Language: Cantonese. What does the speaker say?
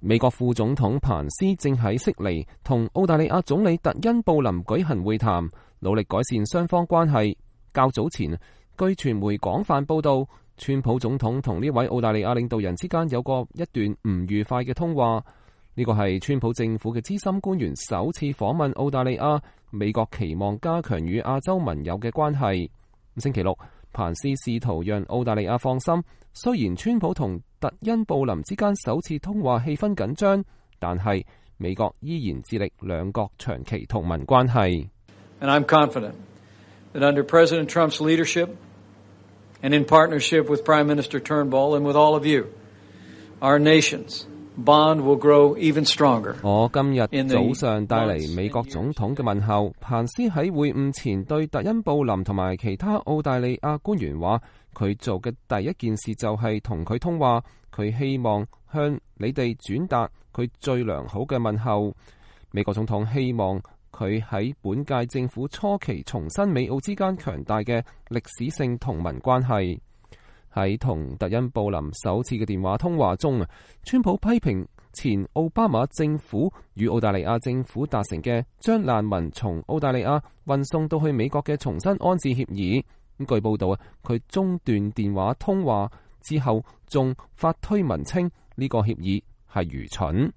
美國副總統彭斯正喺悉尼同澳大利亞總理特恩布林舉行會談，努力改善雙方關係。較早前，據傳媒廣泛報道，川普總統同呢位澳大利亞領導人之間有過一段唔愉快嘅通話。呢個係川普政府嘅資深官員首次訪問澳大利亞，美國期望加強與亞洲盟友嘅關係。星期六，彭斯試圖讓澳大利亞放心，雖然川普同特恩布林之間首次通話氣氛緊張，但係美國依然致力兩國長期同盟關係。And I'm confident that under President Trump's leadership and in partnership with Prime Minister Turnbull and with all of you, our nations Bond will grow even stronger. 我今日早上帶嚟美國總統嘅問候。彭斯喺會晤前對特恩布林同埋其他澳大利亞官員話，佢做嘅第一件事就係同佢通話，佢希望向你哋轉達佢最良好嘅問候。美國總統希望佢喺本屆政府初期重申美澳之間強大嘅歷史性同盟關係。喺同特恩布林首次嘅電話通話中，川普批評前奧巴馬政府與澳大利亞政府達成嘅將難民從澳大利亞運送到去美國嘅重新安置協議。據報道，佢中斷電話通話之後，仲發推文稱呢個協議係愚蠢。